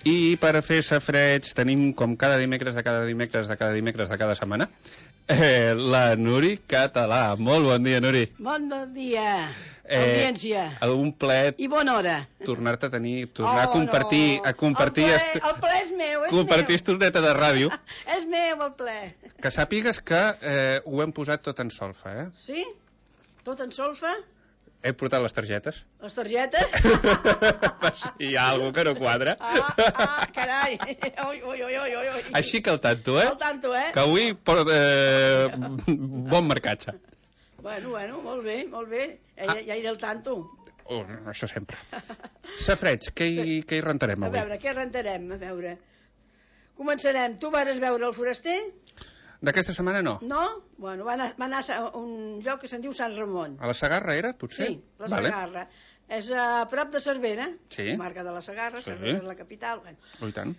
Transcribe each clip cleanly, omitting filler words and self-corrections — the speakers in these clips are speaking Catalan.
I per fer safareig tenim, com cada dimecres de cada setmana, la Nuri Català. Molt bon dia, Nuri. Bon dia, audiència. Un plaer I bona hora. tornar-te a tenir, tornar a compartir... No. El ple és meu, compartir estoneta de ràdio. És meu, el ple. Que sàpigues que ho hem posat tot en solfa, eh? Sí? Tot en solfa? He portat les targetes. Les targetes? Hi ha alguna que no quadra. Carai. Ui. Així que al tanto, eh? Al tanto, eh? Que avui bon marcatge. Bueno, molt bé. Ja iré al tanto. Això sempre. Safareig, què hi rentarem avui? A veure, què rentarem? A veure. Començarem. Tu vas veure El Foraster? D'aquesta setmana no. No? Bueno, va anar a un lloc que se'n diu Sant Ramon. A la Segarra era, potser? Sí, la Segarra. És a prop de Cervera, comarca de la Segarra, Cervera és la capital. I tant.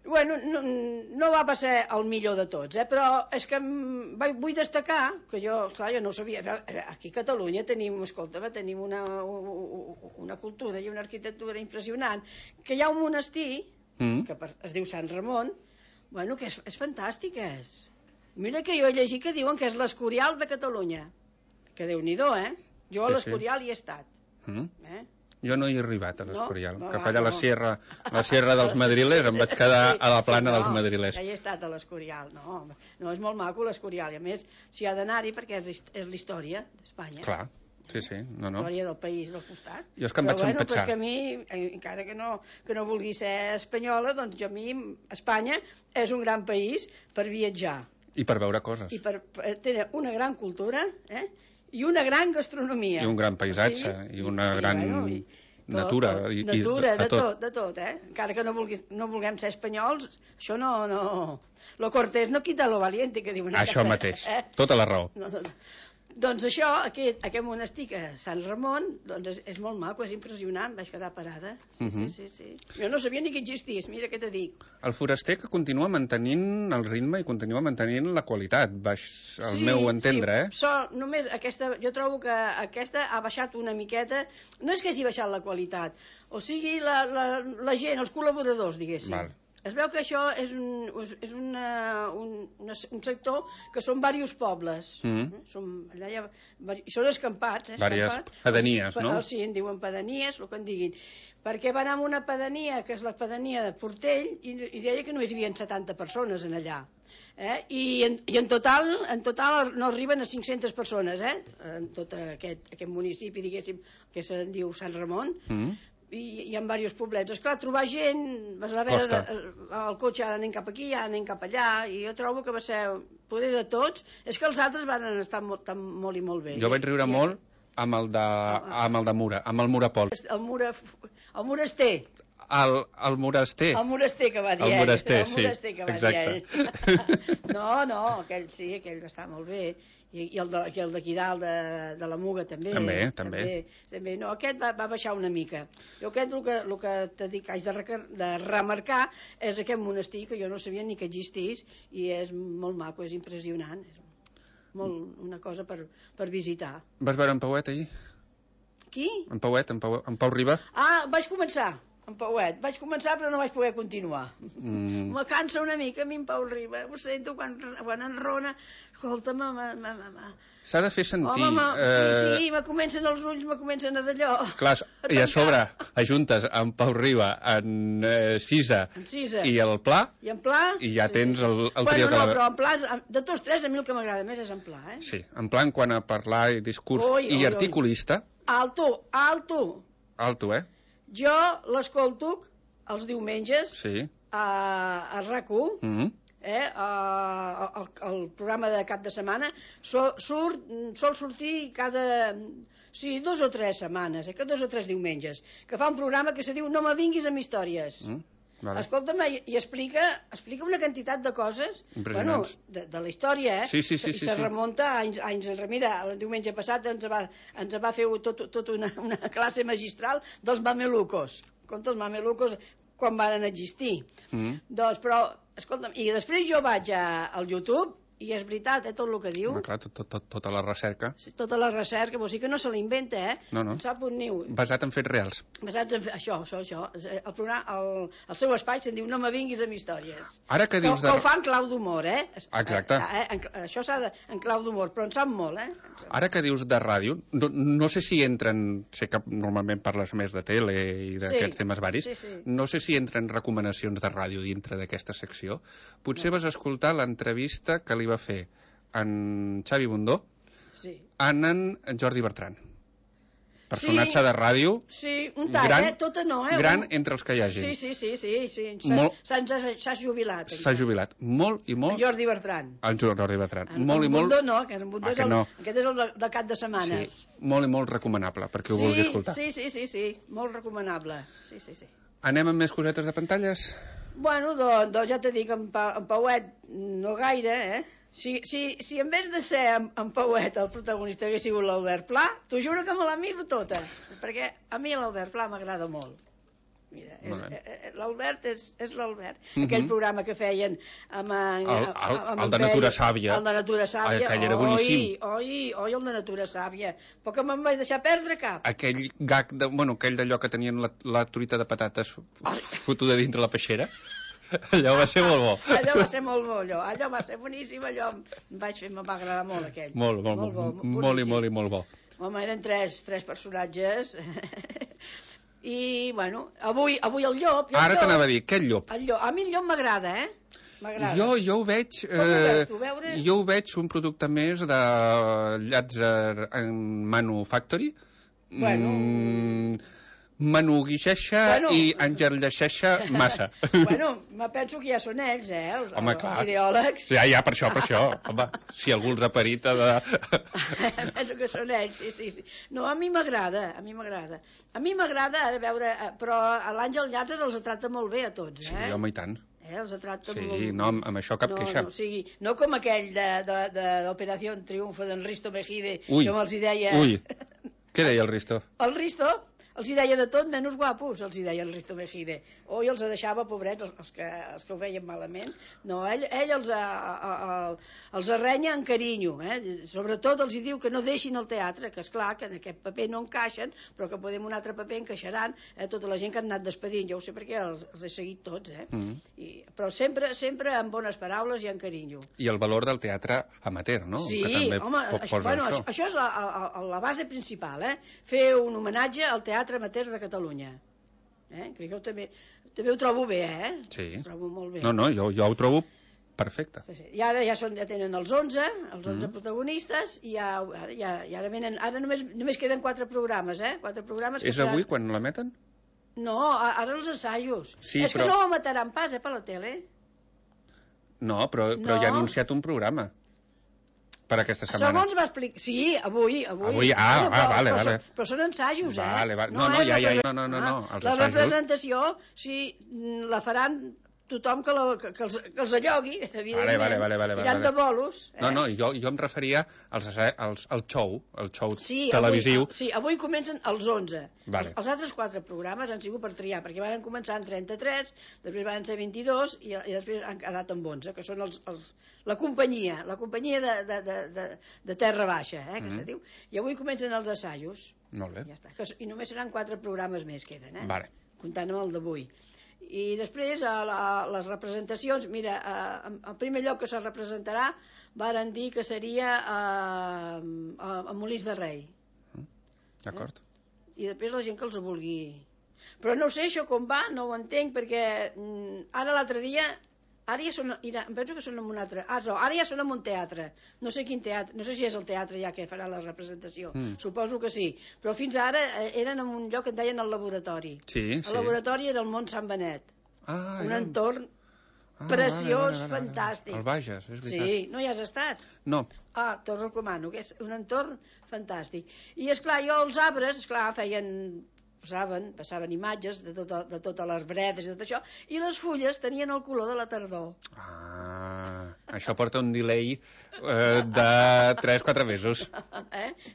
Bueno, no va passar el millor de tots, però és que vull destacar, que jo no ho sabia, aquí a Catalunya tenim una cultura i una arquitectura impressionant, que hi ha un monestir, que es diu Sant Ramon, bueno, que és fantàstic, és. Mira que jo he llegit que diuen que és l'Escorial de Catalunya. Que Déu-n'hi-do, eh? Jo a l'Escorial hi he estat. Jo no hi he arribat, a l'Escorial. Cap allà a la Sierra dels Madrilers em vaig quedar a la plana dels Madrilers. Ja hi he estat a l'Escorial. No, és molt maco l'Escorial. I a més, s'hi ha d'anar-hi perquè és l'història d'Espanya. Clar. Sí, no. Història del país del costat. Jo és que em vaig empatxar. Però que a mi, encara que no vulgui ser espanyola, doncs a mi Espanya és un gran país per viatjar. I per veure coses. I per tenir una gran cultura, i una gran gastronomia. I un gran paisatge, i una gran natura. Natura, de tot, Encara que no vulguem ser espanyols, això no... Lo cortés no quita lo valiente, que diuen. Això mateix, tota la raó. Doncs això, aquest monestir, Sant Ramon, doncs és molt maco, és impressionant, vaig quedar parada. Sí. Jo no sabia ni que existís, mira què te dic. El foraster que continua mantenint el ritme i continua mantenint la qualitat, al meu entendre, només jo trobo que aquesta ha baixat una miqueta, no és que hagi baixat la qualitat, o sigui, la gent, els col·laboradors, diguéssim. Val. Es veu que això és un sector que són diversos pobles. Són escampats. Diverses pedanies, no? Sí, en diuen pedanies, el que en diguin. Perquè van anar a una pedania, que és la pedania de Portell, i deia que només hi havia 70 persones en allà. I en total no arriben a 500 persones, en tot aquest municipi, diguéssim, que se'n diu Sant Ramon. I hi ha diversos poblets. Esclar, trobar gent, el cotxe ara anem cap aquí, ara anem cap allà, i jo trobo que va ser poder de tots. És que els altres van estar molt i molt bé. Jo vaig riure molt amb el de Mura, amb el Murapol. El Moraster. El Moraster. El Moraster que va dir ell. El Moraster, sí, exacte. No, aquell va estar molt bé. I el d'aquí dalt de la Muga també. També. No, aquest va baixar una mica. Jo aquest el que t'he dit que haig de remarcar és aquest monestir que jo no sabia ni que existís i és molt maco, és impressionant. És una cosa per visitar. Vas veure en Pauet ahir? Qui? En Pauet, en Pau Riba? Vaig començar. En Pauet. Vaig començar però no vaig poder continuar. Me cansa una mica a mi en Pau Riba. Ho sento quan enrona. Escolta'm, s'ha de fer sentir. Sí, me comencen els ulls, me comencen a d'allò. Clar, i a sobre ajuntes en Pau Riba, en Cisa i el Pla, i ja tens el trio. No, però en Pla, de tots tres, a mi el que m'agrada més és en Pla. Sí, en Pla en quant a parlar i discurs i articulista. Alto. Alto, Jo l'escolto els diumenges a RAC1, el programa de cap de setmana, sol sortir cada 2 o 3 setmanes, que 2 o 3 diumenges, que fa un programa que se diu No me vinguis amb històries. Escolta'm, i explica una quantitat de coses de la història, Sí. Se remunta a anys enrere. Mira, el diumenge passat ens va fer tot una classe magistral dels mamelucos. Els mamelucos quan van existir. Doncs, però, escolta'm, i després jo vaig al YouTube i és veritat, tot el que diu. Home, clar, tota la recerca. Tota la recerca, vol dir que no se l'inventa, No. En sap un niu. Basat en fets reals. Basats en això. El programa, el seu espai se'n diu No me vinguis amb històries. Ara que dius que ho fa en clau d'humor, Exacte. Això s'ha de... en clau d'humor, però en sap molt, Ara que dius de ràdio, no sé si entren... Sé que normalment parles més de tele i d'aquests temes varis. Sí. No sé si entren recomanacions de ràdio dintre d'aquesta secció. Potser vas escoltar l'entrevista que li va fer en Xavi Bundó en Jordi Bertran. Personatge de ràdio. Sí, un tall, tota no, gran entre els que hi hagi. Sí. S'ha jubilat. S'ha jubilat. Molt i molt. En Jordi Bertran. Jordi Bertran. Molt i molt. No, que en Bundó aquest és el de cap de setmanes. Sí, molt i molt recomanable, perquè ho vulgui escoltar. Sí, molt recomanable. Sí. Anem amb més cosetes de pantalles? Bueno, doncs ja t'he dit que en Pauet no gaire, Si en vez de ser en Pauet el protagonista hagués sigut l'Albert Pla, t'ho juro que me la miro tota, perquè a mi l'Albert Pla m'agrada molt. Mira, l'Albert és l'Albert. Aquell programa que feien amb el de Natura Sàvia. El de Natura Sàvia. Aquell era boníssim. Oi, el de Natura Sàvia. Però que me'n vaig deixar perdre cap. Aquell gag, aquell d'allò que tenien la truita de patates fotuda dintre la peixera. Allò va ser molt bo. Allò va ser molt bo, allò va ser boníssim, allò em va agradar molt aquell. Molt bo. Home, eren tres personatges. I, bueno, avui el llop... Ara t'anava a dir, què el llop? A mi el llop m'agrada, M'agrada. Jo ho veig... Jo ho veig un producte més de Llàtzer en Manufactory. Bueno... Manuguixeixa i engerlleixeixa massa. Bueno, me penso que ja són ells, els ideòlegs. Ja, per això. Home, si algú els ha parit ha de... Penso que són ells, sí. No, a mi m'agrada. A mi m'agrada, a veure, però l'Àngel Llàtzer els tracta molt bé a tots, Sí, home, i tant. Els tracta molt bé. Sí, no, amb això cap queixa. No com aquell de l'Operació Triunfo d'en Risto Mejide, que me'ls hi deia... Ui, què deia el Risto? El Risto... Els hi deia de tot, menys guapos, els hi deia el Risto Mejide. Oi, els deixava, pobrets, els que ho feien malament. No, ell els arrenya en carinyo. Sobretot els hi diu que no deixin el teatre, que és clar que en aquest paper no encaixen, però que podem un altre paper encaixaran tota la gent que han anat despedint. Jo ho sé perquè els he seguit tots, però sempre amb bones paraules i en carinyo. I el valor del teatre amateur, no? Sí, home, això és la base principal, fer un homenatge al teatre amateur de Catalunya. Que jo també ho trobo bé, Sí. Ho trobo molt bé. No, jo ho trobo perfecte. I ara ja tenen els 11 protagonistes, i ara venen, ara només queden 4 programes, 4 programes. És avui quan l'emeten? No, ara els assajos. Sí, és que no ho emetaran pas, per la tele. No, però ja ha anunciat un programa per aquesta setmana. Segons va explicar... Sí, avui. Vale. Però són ensajos, Vale. No, la representació, sí, la faran tothom que els allogui, evidentment. Vale. Iran de bolos. No, jo em referia al show televisiu. Sí, avui comencen els 11. Vale. Els altres 4 programes han sigut per triar, perquè van començar en 33, després van ser 22 i després han quedat amb 11, que són la companyia de Terra Baixa, que se diu. I avui comencen els assajos. Molt bé. Ja està. I només seran 4 programes més queden, Vale. Comptant amb el d'avui. I després les representacions, mira, el primer lloc que se representarà varen dir que seria a Molins de Rei. D'acord. I després la gent que els vulgui. Però no sé això com va, no ho entenc, perquè ara l'altre dia, ara ja són, em penso que són en un altre, ara ja són en un teatre, no sé quin teatre, no sé si és el teatre ja que farà la representació, suposo que sí, però fins ara eren en un lloc que en deien el laboratori. Sí. El laboratori era el Mont Sant Benet, un entorn preciós, fantàstic. El Bages, és veritat. Sí, no hi has estat? No. T'ho recomano, que és un entorn fantàstic. I esclar, jo els arbres, esclar, passaven imatges de totes les bredes i tot això, i les fulles tenien el color de la tardor. Això porta un delay de 3-4 mesos.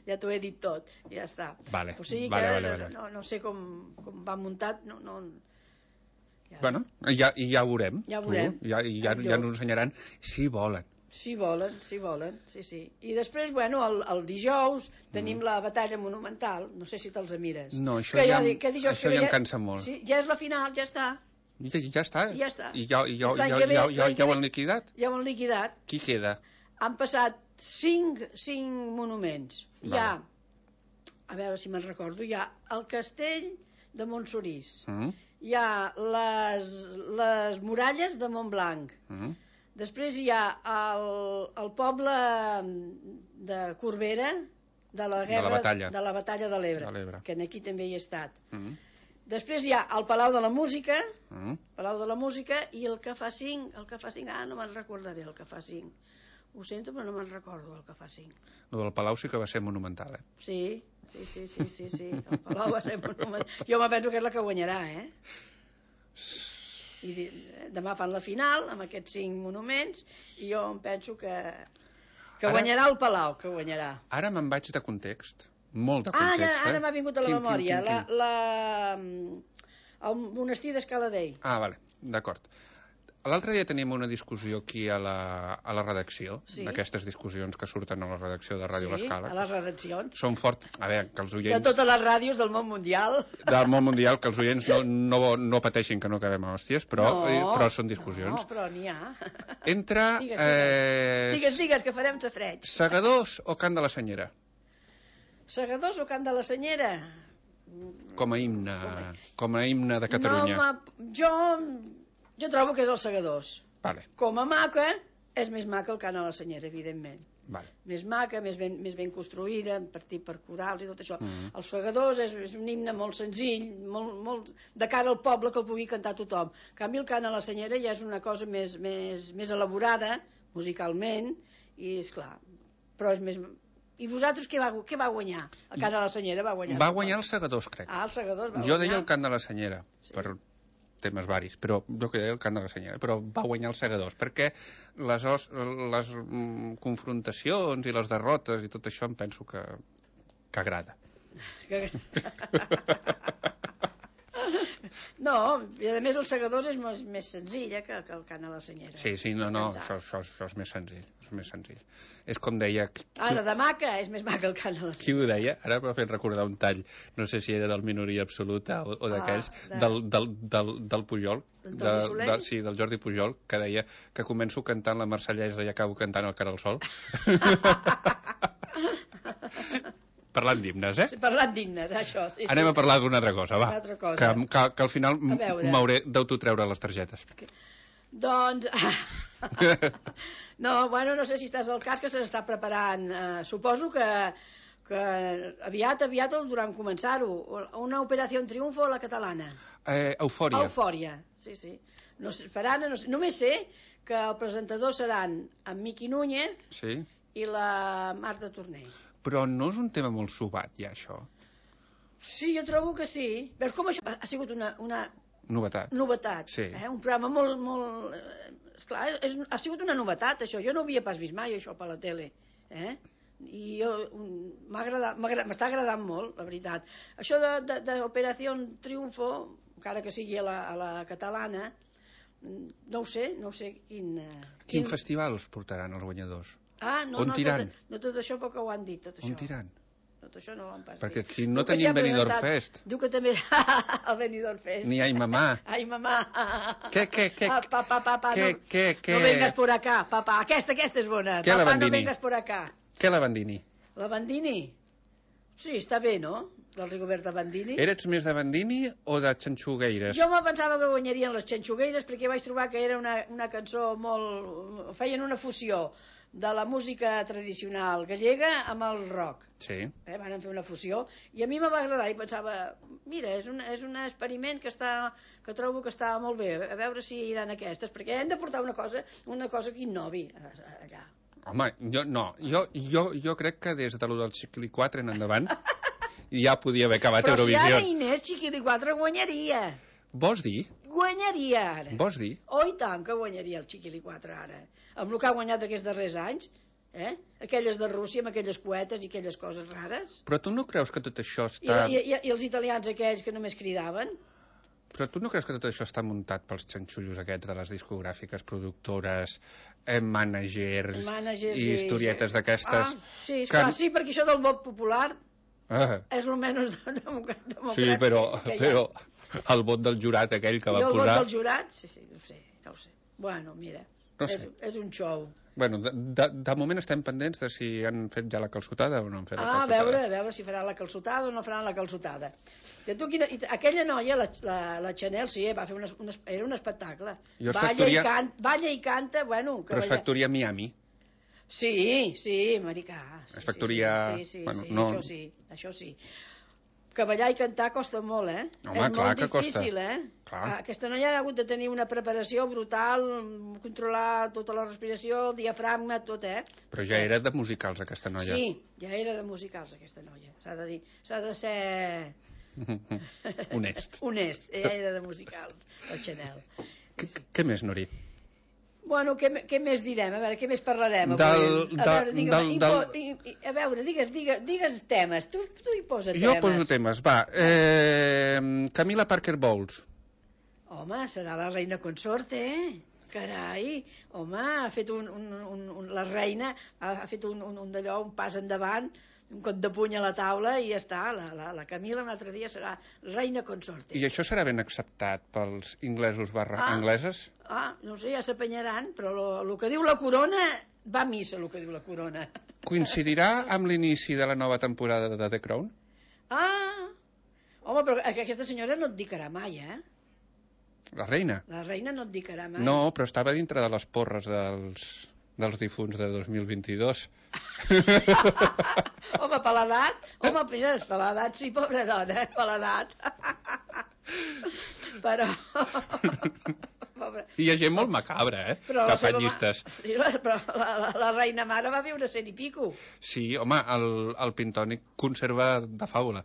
Ja t'ho he dit tot, ja està. Vale. O sigui que no sé com va muntat, Bueno, ja ho veurem. Ja ho veurem. Ja ens ho ensenyaran, si volen. Si volen, sí. I després, bueno, el dijous tenim la batalla monumental, no sé si te'ls mires. No, això ja em cansa molt. Sí, ja és la final, ja està. Ja està? Ja està. I ja ho han liquidat? Ja ho han liquidat. Qui queda? Han passat 5 monuments. Hi ha, a veure si me'n recordo, hi ha el castell de Montsoriç, hi ha les muralles de Montblanc, després hi ha el poble de Corbera, de la guerra de la batalla de l'Ebre, que aquí també hi he estat. Després hi ha el Palau de la Música, i el que fa 5, no me'n recordaré el que fa 5. Ho sento, però no me'n recordo el que fa 5. El del Palau sí que va ser monumental, eh? Sí. El Palau va ser monumental. Jo me penso que és la que guanyarà, I demà fan la final amb aquests 5 monuments i jo em penso que guanyarà el Palau, que guanyarà. Ara me'n vaig de context, molt de context. Ara m'ha vingut a la memòria el monestir d'Escaladei. Vale, d'acord. L'altre dia tenim una discussió aquí a la redacció, d'aquestes discussions que surten a la redacció de Ràdio L'Escala. Sí, a les redaccions. Són forts, a veure, que els oients... De totes les ràdios del món mundial. Del món mundial, que els oients no pateixin que no acabem a hòsties, però són discussions. No, però n'hi ha. Entre... Digues, que farem safreig. Segadors o Cant de la Senyera? Segadors o Cant de la Senyera? Com a himne de Catalunya. No, jo trobo que és els Segadors. Vale. Com a maca, és més maca el Cant a la Senyera, evidentment. Vale. Més maca, més ben construïda, partit per corals i tot això. Els Segadors és un himne molt senzill, molt de cara al poble, que el pugui cantar tothom. En canvi, el Cant a la Senyera ja és una cosa més elaborada, musicalment, i esclar, però és més... I vosaltres què va guanyar? El Cant a la Senyera va guanyar. Va guanyar els Segadors, crec. Els Segadors va guanyar. Jo deia el Cant de la Senyera, per temes varis, però jo que deia el Cant de la Senyera, però va guanyar els Segadors, perquè les confrontacions i les derrotes i tot això em penso que agrada. No, i a més els Segadors és més senzill que el Cant a la Senyera. Sí, això és més senzill. És com deia... Ara, de maca, és més maca el Cant a la Senyera. Qui ho deia? Ara m'ha fet recordar un tall, no sé si era del Minoria Absoluta o d'aquells, del Pujol, del Jordi Pujol, que deia que començo cantant la Marsellesa i acabo cantant el Cara al Sol. Parlant d'himnes, Sí, parlant d'himnes, això. Sí, Anem a parlar d'una altra cosa, va. Que al final m'hauré d'autotreure les targetes. Doncs... No, bueno, no sé si estàs al cas, que se n'està preparant. Suposo que aviat durant començar-ho. Una operació en triomfo a la catalana. Eufòria. Sí. Només sé que el presentador seran en Miqui Núñez i la Marta Tornell. Però no és un tema molt subat, ja, això? Sí, jo trobo que sí. Veus com això ha sigut una novetat. Sí. Un programa molt... Esclar, ha sigut una novetat, això. Jo no ho havia pas vist mai, això, per la tele. I m'està agradant molt, la veritat. Això d'Operació Triunfo, encara que sigui a la catalana, no ho sé quin... Quin festival us portaran els guanyadors? No tot això poc ho han dit, tot això. On tiran? Tot això no ho han pas dit. Perquè aquí no tenim Benidorm Fest. Diu que també el Benidorm Fest. Ni Ai Mamà. Ai Mamà. Què? No vengas por acá, papá. Aquesta és bona. Què la Bandini? No vengas por acá. Què la Bandini? La Bandini? Sí, està bé, no? Del Rigoberta Bandini. Eres més de Bandini o de Xanxugueires? Jo me pensava que guanyarien les Xanxugueires perquè vaig trobar que era una cançó molt... Feien una fusió de la música tradicional gallega amb el rock. Sí. Van fer una fusió i a mi me va agradar i pensava, mira, és un experiment que trobo que està molt bé, a veure si iran aquestes, perquè hem de portar una cosa que innovi allà. Home, jo crec que des de lo del Xiquili 4 en endavant ja podia haver acabat Eurovisió. Però si ara Inés Xiquili 4 guanyaria. Vols dir? Guanyaria ara. Vols dir? Oh, i tant que guanyaria el Xiquili 4 ara. Amb el que ha guanyat aquests darrers anys, aquelles de Rússia, amb aquelles coetes i aquelles coses rares. Però tu no creus que tot això està... I els italians aquells que només cridaven? Però tu no creus que tot això està muntat pels xanxullos aquests de les discogràfiques, productores, mànagers i historietes d'aquestes? Sí, sí, perquè això del vot popular és el menys democràtic. Sí, però el vot del jurat aquell que va posar... I el vot del jurat? Sí, no ho sé. Bueno, mira, és un show. Bueno, de moment estem pendents de si han fet ja la calçotada o no han fet la calçotada. A veure si faran la calçotada o no faran la calçotada. Aquella noia, la Chanel, sí, va fer era un espectacle. Balla i canta, bueno... Però és factoria Miami. Sí, americà. És factoria... Sí, això sí. Que ballar i cantar costa molt, Home, clar que costa. És molt difícil, Aquesta noia ha hagut de tenir una preparació brutal, controlar tota la respiració, el diafragma, tot, Però ja era de musicals, aquesta noia. Sí, ja era de musicals, aquesta noia. S'ha de dir, s'ha de ser... Honest. Ella era de musicals, la Chanel. Què més, Nori? Bueno, què més direm? A veure, què més parlarem? Digues temes. Tu hi posa temes. Jo poso temes, va. Camila Parker Bowles. Home, serà la reina consorte, Carai, home, ha fet la reina ha fet un d'allò, un pas endavant, un cop de puny a la taula i ja està, la Camila un altre dia serà reina consorte. I això serà ben acceptat pels inglesos angleses? No sé, ja s'apanyaran, però el que diu la corona va a missa, el que diu la corona. Coincidirà amb l'inici de la nova temporada de The Crown? Home, però aquesta senyora no et dicarà mai, La reina? La reina no et dicarà mai. No, però estava dintre de les porres dels difunts de 2022. Home, per l'edat? Home, per l'edat, sí, pobra dona, per l'edat. Però... Hi ha gent molt macabra, que fa llistes. Sí, però la reina mare va viure 100 i pico. Sí, home, el Pintònic conserva de fàbula.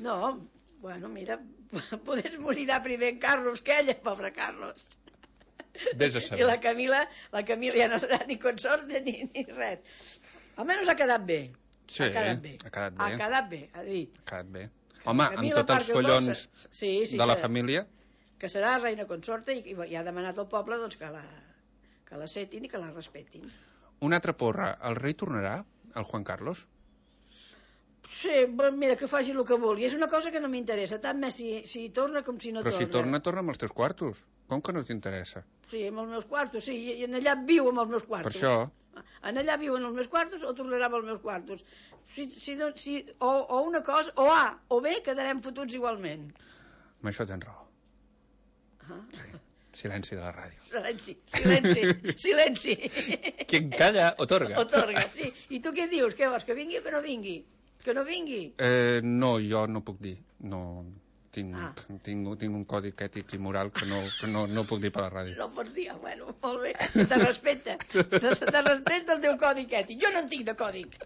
No, bueno, mira, potser morirà primer en Carlos que ella, pobre Carlos. Vés a saber. I la Camila ja no serà ni consorte ni res. Almenys ha quedat bé. Sí, ha quedat bé, ha dit. Ha quedat bé. Home, amb tots els follons de la família... Que serà reina consorte i ha demanat al poble doncs, que la setin i que la respetin. Una altra porra. El rei tornarà, el Juan Carlos? Sí, mira, que faci el que vulgui. És una cosa que no m'interessa, tant més si torna com si no torna. Però si torna amb els teus quartos. Com que no t'interessa? Sí, amb els meus quartos, sí, i en allà viu amb els meus quartos. Per això... En allà viu en els meus quartos o tornarà amb els meus quartos. O una cosa, o A o B, quedarem fotuts igualment. Amb això tens raó. Sí. Silenci de la ràdio. Silenci. Qui calla, otorga. Otorga, sí. I tu què dius? Què vols, que vingui o que no vingui? Que no vingui? No, jo no puc dir. No, tinc un codi ètic i moral que no puc dir per la ràdio. No pots dir, bueno, molt bé. Se te respecta. Se te respecta el teu codi ètic. Jo no en tinc de còdic.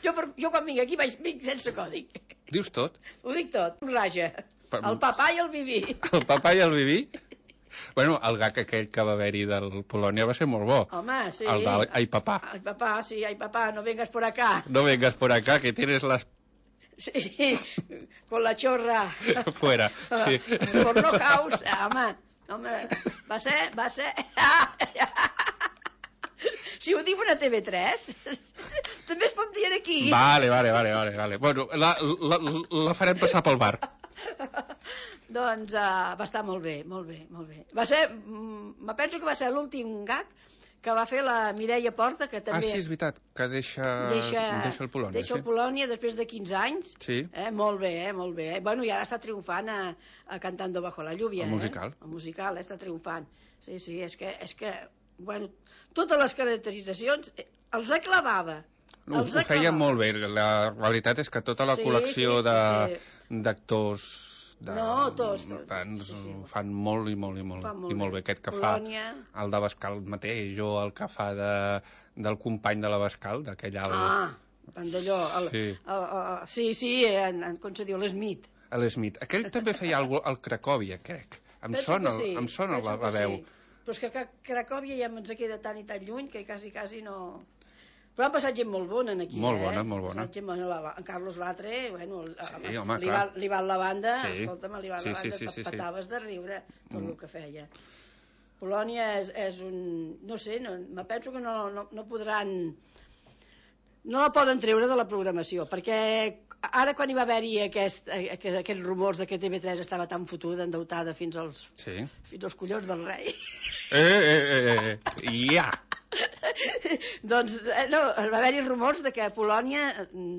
Jo quan vinc aquí vinc sense còdic. Dius tot? Ho dic tot. Un raja. El papà i el Viví. El papà i el Viví? Bueno, el gag aquell que va haver-hi del Polònia va ser molt bo. Home, sí. El de ai papà. Ai papà, sí, ai papà, no vengas por acá. No vengas por acá, que tienes las... Sí, con la chorra. Fuera, sí. Porno house, home, va ser... Si ho diu una TV3, també es pot dir aquí. Vale. Bueno, la farem passar pel bar. Doncs va estar molt bé. Va ser, me penso que va ser l'últim gag que va fer la Mireia Porta, que també... Sí, és veritat, que deixa el Polònia. Deixa el Polònia després de 15 anys. Sí. Molt bé. Bueno, i ara està triomfant a Cantando bajo la lluvia. El musical. El musical, està triomfant. Sí, és que bueno, totes les caracteritzacions els aclavava. Ho feia molt bé. La realitat és que tota la col·lecció d'actors fan molt i molt bé. Aquest que fa el d'Abascal mateix, o el que fa del company de l'Abascal, d'aquell alt... d'allò... Sí, com se diu, l'Smith. L'Smith. Aquell també feia alguna cosa al Cracòvia, crec. Em sona la veu. Però és que Cracòvia ja ens queda tan i tan lluny que quasi no... Però han passat gent molt bona aquí, molt bona, molt bona. Gent bona. En Carlos Latre, bueno, sí, home, li va la banda, sí. escolta'm, li va la banda, petaves de riure tot el que feia. Polònia és un... no sé, me penso que no podran... no la poden treure de la programació, perquè ara quan hi va haver-hi aquests rumors de que TV3 estava tan fotuda, endeutada fins als collons del rei. Ja! Doncs no, va haver-hi rumors de que Polònia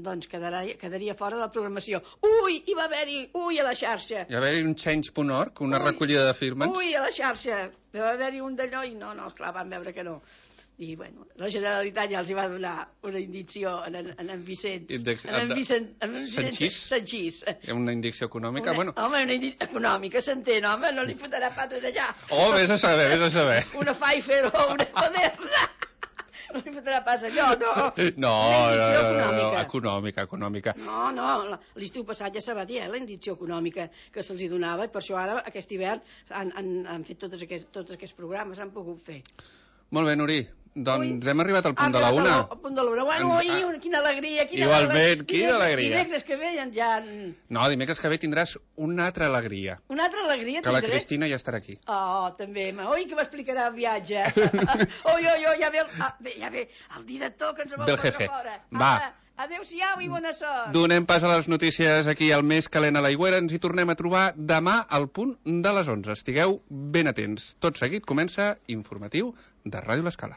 doncs quedaria fora de la programació. Ui, hi va haver-hi, a la xarxa. Hi va haver-hi un change.org, una recollida de firmes. Ui, a la xarxa. Hi va haver-hi un d'allò i no, esclar, van veure que no. I, bueno, la Generalitat ja els hi va donar una indicció en Vicent. Sanchís. Una indicció econòmica? Home, una indicció econòmica, s'entén, home, no li fotrà pates allà. Oh, vés a saber. Una Pfeiffer o una Moderna. No li fotrà pas allò, no. No, econòmica. No, l'estiu passat ja se va dir, la indicció econòmica que se'ls donava, i per això ara, aquest hivern, han fet tots aquests programes, han pogut fer. Molt bé, Nuri. Doncs hem arribat al punt de la una. Al punt de la una. Bueno, quina alegria. Igualment, quina alegria. Dimecres que ve ja... No, dimecres que ve tindràs una altra alegria. Una altra alegria tindré? Que la Cristina ja estarà aquí. Oh, també. Oi, que m'explicarà el viatge. Oi, ja ve el director que ens vol portar fora. Va. Adéu-siau i bona sort. Donem pas a les notícies aquí al Més Calent a l'Aigüera. Ens hi tornem a trobar demà al punt de les 11. Estigueu ben atents. Tot seguit comença Informatiu de Ràdio L'Escala.